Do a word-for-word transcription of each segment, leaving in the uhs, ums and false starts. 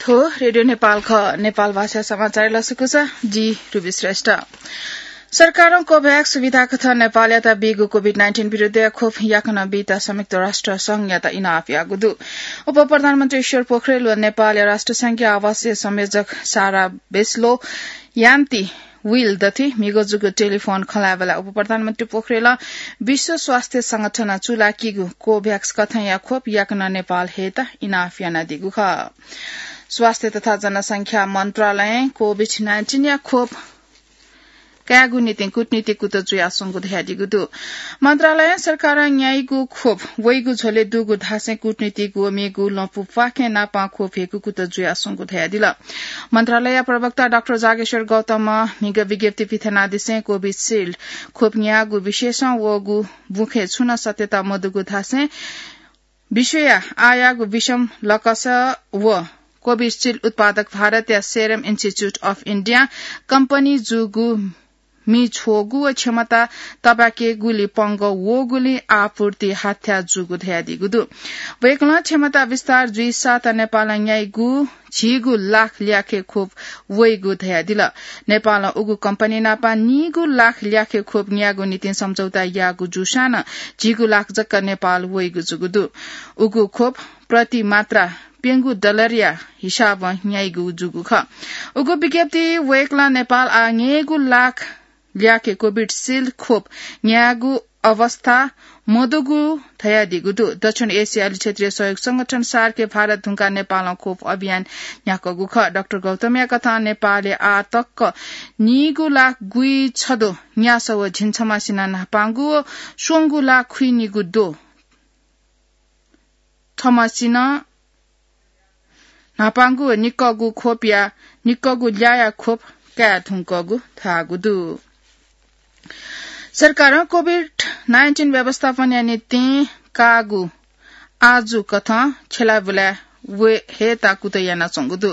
हो, रेडियो नेपाल ख, नेपाल भाषा समाचार लसकुस, जि रुबी श्रेष्ठ। सरकारं कोभ्याक्स सुविधा कथं नेपालयात बीगु कोभिड नाइन्टिन विरुद्धया खोप याकनं बीत संयुक्त राष्ट्र संघयात इनाप याःगु दु। उप प्रधानमन्त्री ईश्वर पोखरेल व नेपालया राष्ट्र संघया आवासीय संयोजक सारा बेस्लो यान्ती विल दथि म्हिगः जूगु टेलिफोन खँल्हाय्‌बलय् उप प्रधानमन्त्री पोखरेलं विश्व स्वास्थ्य संगठनं चूलाकीगु कोभ्याक्स कथंया खोप याकनं नेपाल हयेत इनाप यानादीगु खः। स्वास्थ्य तथा जनसंख्या मन्त्रालयं कोभिड नाइन्टिनया खोप कायेगु निंतिं कूटनीतिक कुतः जुयाच्वंगु धयादीगु दु। मन्त्रालयं सरकारं न्याइगु खोप वइगु झ्वलय् दुगु धासें कूटनीतिक व मेगु लँपु प्वाखें नापं खोप हयेगु कुतः जुयाच्वंगु धयादिल। मन्त्रालयया प्रवक्ता डाक्टर जागेश्वर गौतमं म्हिगः विज्ञप्ति पिथनादिसें कोभिसिल्ड खोप न्याःगु विषयसं वःगु बुँखे छुं नं सत्यता मदुगु धासें विश्वया आःयाःगु विषम लकस व कोभिसिल्ड उत्पादक भारतया serum institute of India company जूगु मि छ्वःगु व क्षमता तबाकेगुली पंगः वःगुलिं आपूर्ति हाथ्याः जूगु धयादीगु दु। वय्‌कलं क्षमता विस्तार जुइसाथ नेपालं न्याइगु झिगू लाख ल्याखे खोप वइगु धयादिल। नेपालं उगु कम्पनी नापं नीगू लाख ल्याखे खोप न्यायेगु निंतिं सम्झौता याःगु जूसां नं झिगू लाख जक नेपाल वइगु जूगु दु। उगु खोप प्रति मात्रा प्यंगू डलरया हिसाबं न्याइगु जूगु खः। उगु विज्ञप्ति वय्‌कलं नेपाल आः न्यय्‌गू लाख ल्याखे कोभिसिल्ड खोप न्यायेगु अवस्था मदुगु धयादीगु दु। दक्षिण एसियाली क्षेत्रीय सहयोग संगठन सार्कय् भारत धुंकाः नेपालं खोप अभियान न्ह्याकूगु खः। डाक्टर गौतमया कथं नेपालय् आः तक नीगू लाख गुइछद्वः न्यासः व झिंछम्हसिनं न्हापांगु व स्वंगू लाख खुइनिगू द्वः थम्हसिनं न्हापांगु व निक्कःगु खोपया, निक्कःगु ल्याःया खोप काये धुंकूगु धाःगु दु। सरकारं कोभिड नाइन्टिन व्यवस्थापनया निंतिं काःगु आजु कथं छ्यलाबुलाय् हयेत कुतः यानाच्वंगु दु।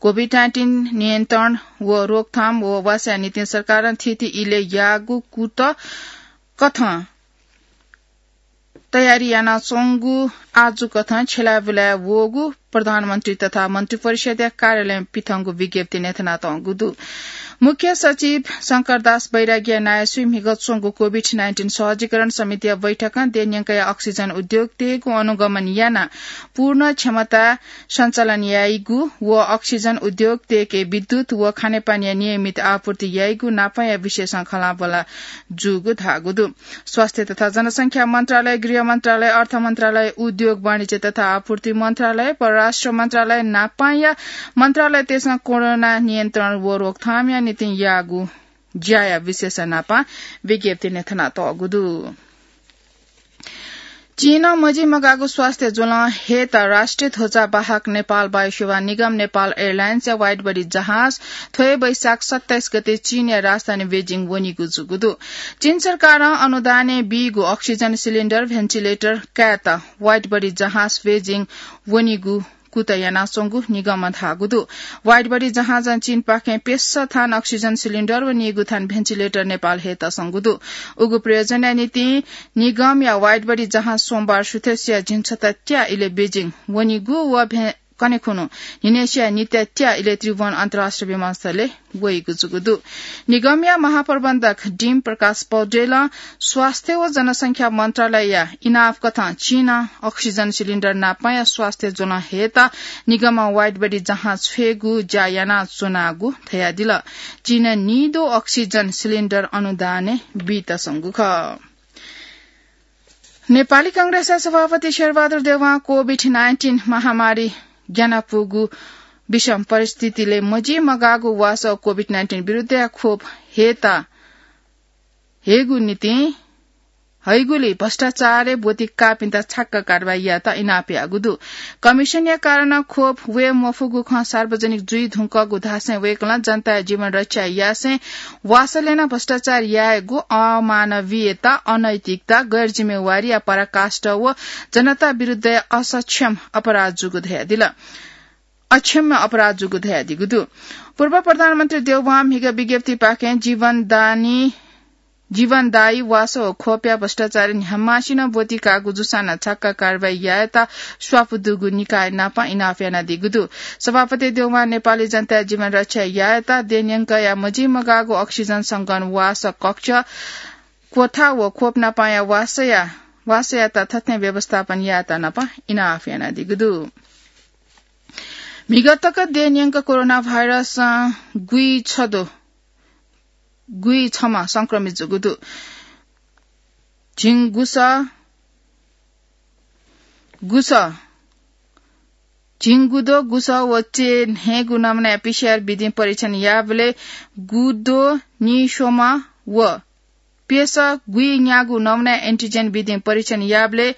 कोभिड नाइन्टिन नियन्त्रण व रोकथाम व वासया निंतिं सरकारं थीथी इलय् याःगु कुतः कथं तयारी यानाच्वंगु आजु कथं छ्यलाबुलाय् वःगु प्रधानमन्त्री तथा मन्त्रिपरिषद्या कार्यालयं पिथंगु विज्ञप्तिं न्ह्यथनातःगु दु। मुख्य सचिव शंकरदास बैरागीया नायःसुइ म्हिगः च्वंगु कोभिड नाइन्टिन सहजीकरण समितिया बैठकं देय् न्यंकया अक्सिजन उद्योग तयेगु अनुगमन यानाः पूर्ण क्षमता सञ्चालन याइगु व अक्सिजन उद्योग तयेके विद्युत व खानेपानीया नियमित आपूर्ति याइगु नापंया विषयसं खँल्हाबल्हा जूगु धाःगु दु। स्वास्थ्य तथा जनसंख्या मन्त्रालय, गृह मन्त्रालय, अर्थ मन्त्रालय, उद्योग, वाणिज्य तथा आपूर्ति मन्त्रालय, परराष्ट्र मन्त्रालय नापंया मन्त्रालयतय्‌सं कोरोना नियन्त्रण व रोकथामया निंतिं याःगु ज्याया विषयसं नापं विज्ञप्ति न्ह्यथनातःगु दु। चीनं मजिमगाःगु स्वास्थ्य ज्वलं हयेत राष्ट्रिय ध्वजावाहक नेपाल वायुसेवा निगम, नेपाल एयरलाइन्सया वाइडबडी जहाज थ्व हे वैशाख सत्ताइस गते चीनया राजधानी बेजिङ वनीगु जूगु दु। चीन सरकारं अनुदानय् बीगु अक्सिजन सिलिन्डर, भेन्टिलेटर कायेत वाइडबडी जहाज बेजिङ वनीगु कुतः यानाच्वंगु निगमं धाःगु दु। वाइडबडी जहाजं चीनपाखें प्यसः थान अक्सिजन सिलिन्डर व नीगू थान भेन्टिलेटर नेपाल हयेत संगु दु। उगु प्रयोजनया निंतिं निगमया वाइडबडी जहाज सोमबार सुथसिया झिंछता त्याः इलय् बेजिङ वनीगु व भे-, कन्हय् खुन्हु न्हिनय्‌सिया नित्या त्याः इलय् त्रिभुवन अन्तर्राष्ट्रिय विमानस्थलय् वइगु जूगु दु। निगमया महाप्रबन्धक डीम प्रकाश पौडेलं स्वास्थ्य व जनसंख्या मन्त्रालयया इनाप कथं चीनं अक्सिजन सिलिन्डर नापंया स्वास्थ्य ज्वलं हयेत निगमं वाइडबडी जहाज छ्वयेगु ज्या यानाच्वनागु धयादिल। चीनं नीद्वः अक्सिजन सिलिन्डर अनुदानय् बीत संगु खः। नेपाली कांग्रेसया सभापति शेरबहादुर देउवां कोभिड नाइन्टिन महामारी ग्यानापुगु विषम परिस्थितिलय् मजिमगाःगु वासः कोभिड नाइन्टिन विरुद्धया खोप हयेत हयेगु निंतिं हइगुली भ्रष्टाचारय् ब्वति काःपिन्त छाक्क कारवाही यायेत इनाप याःगु दु। कमिसनया कारणं खोप वये मफुगु खँ सार्वजनिक जुइ धुंकूगु धासें वय्‌कलं जनताया जीवन रक्षा यासें वासलय् नं भ्रष्टाचार यायेगु अमानवीयता, अनैतिकता, गैरजिम्मेवारीया पराकाष्ठा व जनता विरुद्धया असक्षम अपराध जूगु धयादिल। अक्षम्य अपराध जूगु धयादीगु दु। पूर्व प्रधानमन्त्री देउवां म्हिगः विज्ञप्तिपाखें जीवनदानी जीवनदायी वासः व ख्वपया भ्रष्टाचारी न्ह्याम्हसिनं ब्वति काःगु जूसां नं छाक्क कारवाही यायेत स्वापू दुगु निकाय नाप इनाप यानादीगु दु। सभापति देउवां नेपाली जनताया जीवन रक्षा यायेत देय् न्यंकया मजिमगाःगु अक्सिजन संकलन वासः कक्ष, कोठा व ख्वप नापया वासःया, वासःयात थथे व्यवस्थापन यायेत नाप इनाप यानादीगु दु। म्हिगः तक देय् न्यंक कोरोना भाइरसं गुइछदँ, गुइछम्ह संक्रमित जूगु दु। झिंगुसः, गुसः, झिंगुद्वः गुसः व चय् न्हय्‌गू नमुनाया पीसीआर विधिं परीक्षण याःबलय् गुद्वः निस्वम्ह व प्यसः गुइन्यागू नमुनाया एन्टिजेन विधिं परीक्षण याःबलय्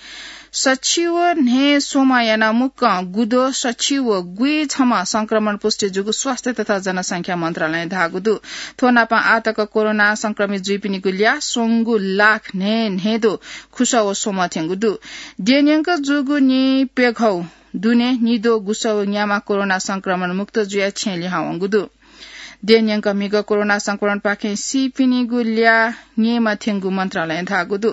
सछि व न्हय्‌स्वम्ह यानाः मुक्कं गुद्वः सछि व गुइछम्ह संक्रमण पुष्टि जूगु स्वास्थ्य तथा जनसंख्या मन्त्रालयं धाःगु दु। थ्व नापं आःतक कोरोना संक्रमित जुइपिनिगु ल्याः स्वंगू लाख न्हय् न्हय्‌द्वः खुसः व स्वम्ह थ्यंगु दु। देय् न्यंक जूगु निप्यघौ दुने निद्वः गुसः व न्याम्ह कोरोना संक्रमण मुक्त जुयाः छेँ लिहां वंगु दु। देय् न्यंक म्हिगः कोरोना संक्रमणपाखें सीपिनिगु ल्याः न्यय्‌म्ह थ्यंगु मन्त्रालयं धाःगु दु।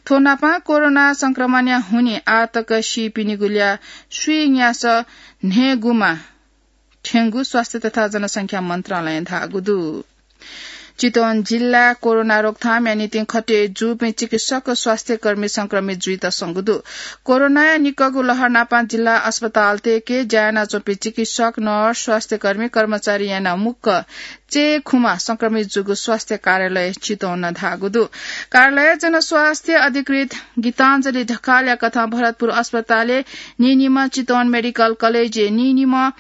थ्व नापं कोरोना संक्रमणया हुनिं आःतक सीपिनिगु ल्याः स्वीन्यासः न्हय्‌गूम्ह थ्यंगु स्वास्थ्य तथा जनसंख्या मन्त्रालयं धाःगु दु। चितवन जिल्ला कोरोना रोकथामया निंतिं खटे जूपिं चिकित्सक व स्वास्थ्यकर्मी संक्रमित जुइत संगु दु। कोरोनाया निक्कःगु लहर नापं जिल्ला अस्पतालतय्‌के ज्या यानाच्वंपिं चिकित्सक, नर्स, स्वास्थ्यकर्मी, कर्मचारी यानाः मुक्कं चय्‌खुम्ह संक्रमित जूगु स्वास्थ्य कार्यालय चितवनं धाःगु दु। कार्यालय जनस्वास्थ्य अधिकृत गीताञ्जली ढकालया कथं भरतपुर अस्पतालय् नीनिम्ह, चितवन मेडिकल कलेजय् नीनिम्ह,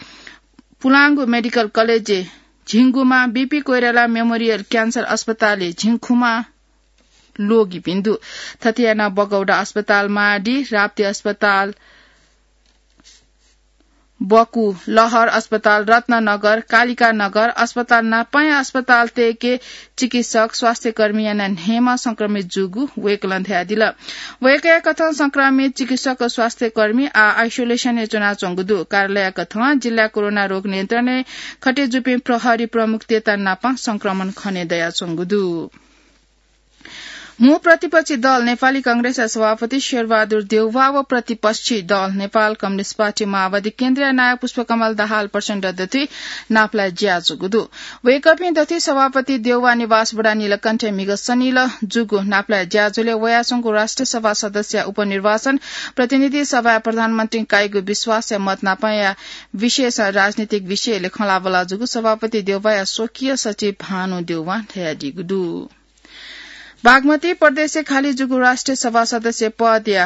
पुलांगु मेडिकल कलेजय् झिंगुम्ह, बीपी कोइराला मेमोरियल क्यान्सर अस्पतालय् झिंखुम्ह लोगिपिं दु। थथे यानाः बगौंडा अस्पताल, माडी, राप्ती अस्पताल, बकु, लहर अस्पताल, रत्ननगर, कालिका नगर अस्पताल नापंया अस्पतालतय्‌के चिकित्सक, स्वास्थ्यकर्मी यानाः न्हय्‌म्ह संक्रमित जूगु वय्‌कलं धयादिल। वय्‌कःया कथं संक्रमित चिकित्सक व स्वास्थ्यकर्मी आः आइसोलेसनय् च्वनाच्वंगु दु। कार्यालयया कथं जिल्ला कोरोना रोग नियन्त्रणय् खटे जूपिं प्रहरी प्रमुखतय्‌त नापं संक्रमण खने दयाच्वंगु दु। मू प्रतिपक्षी दल नेपाली कांग्रेसया सभापति शेरबहादुर देउवा व प्रतिपक्षी दल नेपाल कम्युनिस्ट पार्टी माओवादी केन्द्रया नायः पुष्पकमल दाहाल प्रचण्ड दथुइ नापलाये ज्याझ्वःगु दु। वय्‌कःपिं दथुइ सभापति देउवा निवास वडा नीलकण्ठय् म्हिगः सनिलय् जूगु नापलाये ज्याझ्वलय् वयाच्वंगु राष्ट्रिय सभा सदस्यया उपनिर्वाचन, प्रतिनिधि सभाय् प्रधानमन्त्रीं काइगु विश्वासया मत नापंया विषयसं राजनीतिक विषयलय् खँल्हाबल्हा जूगु सभापति देउवाया स्वकीय सचिव भानु देउवां धयादीगु दु। बागमती प्रदेशय् खाली जूगु राष्ट्रिय सभा सदस्य पदया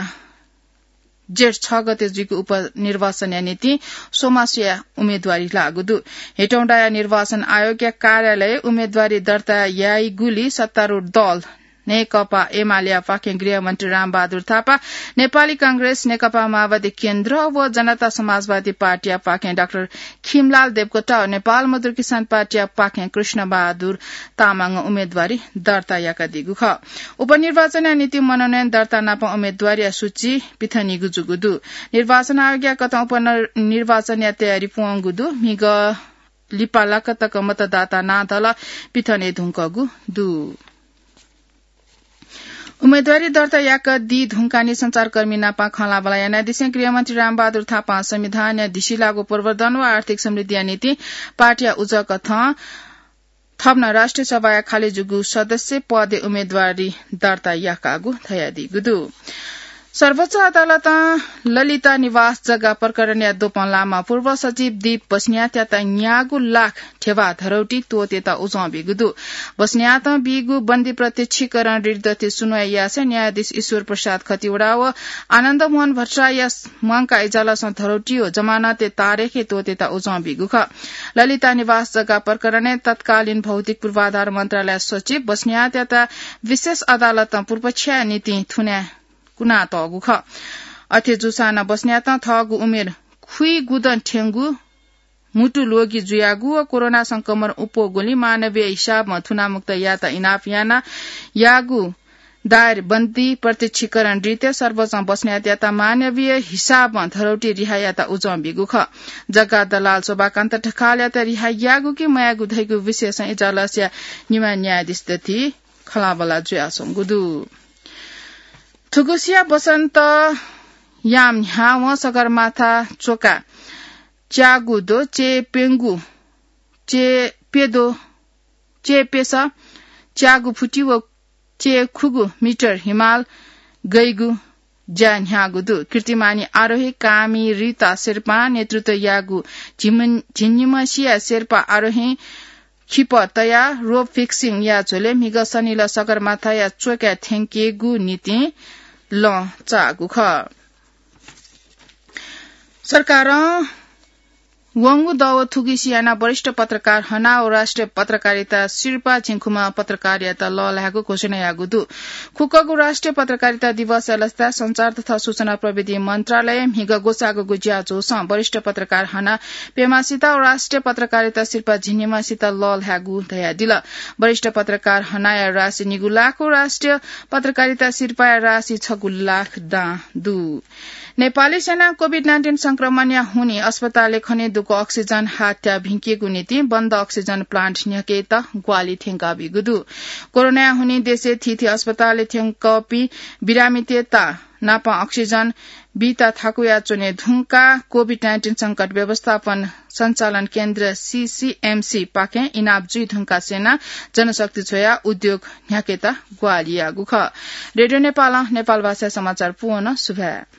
जेठ छ गते जुइगु उपनिर्वाचनया निंतिं स्वम्हस्वया उम्मेदवारी लाःगु दु। हेटौंडाया निर्वाचन आयोगया कार्यालयय् उम्मेदवारी दर्ता याइगुली सत्तारूढ दल नेकपा एमालेया पाखें गृहमन्त्री रामबहादुर थापा, नेपाली कांग्रेस, नेकपा माओवादी केन्द्र व जनता समाजवादी पार्टीया पाखें डाक्टर खिमलाल देवकोटा व नेपाल मजदुर किसान पार्टीया पाखें कृष्णबहादुर तामाङं उम्मेदवारी दर्ता याकादीगु खः। उपनिर्वाचनया निंतिं मनोनयन दर्ता नाप उम्मेदवारया सूची पिथनेगु जूगु दु। निर्वाचन आयोगया कथं उपनिर्वाचनया तयारी प्वंगु दु। म्हिगः लिपा लाक्क तक मतदाता नां दल पिथने धुंकूगु दु। उम्मेदवारी दर्ता याकादी धुंकाः नं सञ्चारकर्मी नाप खँल्हाबल्हा यानादिसें गृहमन्त्री रामबहादुर थापां संविधानया धिसिलाःगु प्रवर्धन व आर्थिक समृद्धिया निंतिं पार्टीया उजं कथं थप नं राष्ट्रिय सभाया खाली जूगु सदस्य पदय् उम्मेदवारी दर्ता याकागु धयादीगु दु। सर्वोच्च अदालतं ललिता निवास जग्गा प्रकरणया द्वपं लाःम्ह पूर्व सचिव दीप बस्नेतयात न्यागू लाख ध्यबा धरौटी त्वःतेत उजं बीगु दु। बस्नेतं बीगु बन्दी प्रत्यक्षीकरण रिट दथुइ सुनवाई यासें न्यायाधीश ईश्वर प्रसाद खतिवडा व आनन्द मोहन भट्टराईया मंकाः इजलासं धरौटी व जमानतय् तारेखय् त्वःतेत उजं बीगु खः। ललिता निवास जग्गा प्रकरणय् तत्कालीन भौतिक पूर्वाधार मन्त्रालय सचिव बस्नेतयात विशेष अदालतं पूर्वपक्षया निंतिं थुनाः कुनातःगु खः। अथे जूसां नं बस्नेतं थःगु उमेर खुइगुदँ थ्यंगु, म्हुतु ल्वगि जुयागु व कोरोना संक्रमण अप्वःगुलिं मानवीय हिसाबं थुनामुक्त यायेत इनाप याना याःगु दायर बन्दी प्रत्यक्षीकरण रिटय् सर्वोच्चं बस्नेतयात मानवीय हिसाबं धरौटी रिहा यायेत उजं बीगु खः। जग्गा दलाल शोभाकान्त ढकालयात रिहा यायेगु कि मयायेगु धइगु विषयसं इजलासया निम्ह न्यायाधीश दथुइ खँल्हाबल्हा जुयाच्वंगु दु। थुगुसिया वसन्त याम न्ह्यावं सगरमाथा च्वका च्यागू दु चे प्यंगू चे प्यदो चे प्यस च्यागू फुटी व चे खुगू मिटर हिमाल गइगु ज्या न्ह्याःगु दु। कीर्तिमानी आरोही कामी रिता शेर्पां नेतृत्व याःगु झिम-, झिंनिमसिया शेर्पा आरोही खिप तयाः रोप फिक्सिङ या झ्वलय् म्हिगः सनिलय् सगरमाथाया च्वकाय् थ्यंकेगु निंतिं लँ चाःगु खः। सरकारं वंगु दव थुगुसी यानाः वरिष्ठ पत्रकार हनाः व राष्ट्रिय पत्रकारिता सिरपाः झिंखुम्ह पत्रकारयात लःल्हायेगु घोषणा याःगु दु। खुक्कगु राष्ट्रिय पत्रकारिता दिवसया लसताय् सञ्चार तथा सूचना प्रविधि मन्त्रालयं म्हिगः ग्वसाःगुगु ज्याझ्वलय् वरिष्ठ पत्रकार हनाः प्यम्हसित व राष्ट्रिय पत्रकारिता सिरपाः झिंनिम्हसित लःल्हायेगु धयादिल। वरिष्ठ पत्रकार हनाया राशि निगू लाख व राष्ट्रिय पत्रकारिता सिरपाःया राशि छगू लाख दां दु। नेपाली सेनां कोभिड नाइन्टिन संक्रमणया हुनिं अस्पतालय् खने दुगु अक्सिजन हात्या भिंकेगु निंतिं बन्द अक्सिजन प्लान्ट न्ह्याकेत ग्वाहालि थ्यंकाबीगु दु। कोरोनाया हुनिं देशय् थीथी अस्पतालय् थ्यंकःपिं बिरामीतय्त नापं अक्सिजन बीत थाकुया च्वने धुंकाः कोभिड नाइन्टिन संकट व्यवस्थापन सञ्चालन केन्द्र सीसीएमसी पाखें इनाप जुइ धुंकाः सेनां जनशक्ति छ्वयाः उद्योग न्ह्याकेत ग्वाहालि याःगु खः। रेडियो नेपालं नेपाल भाषाय् समाचार पूवन सुभाय्।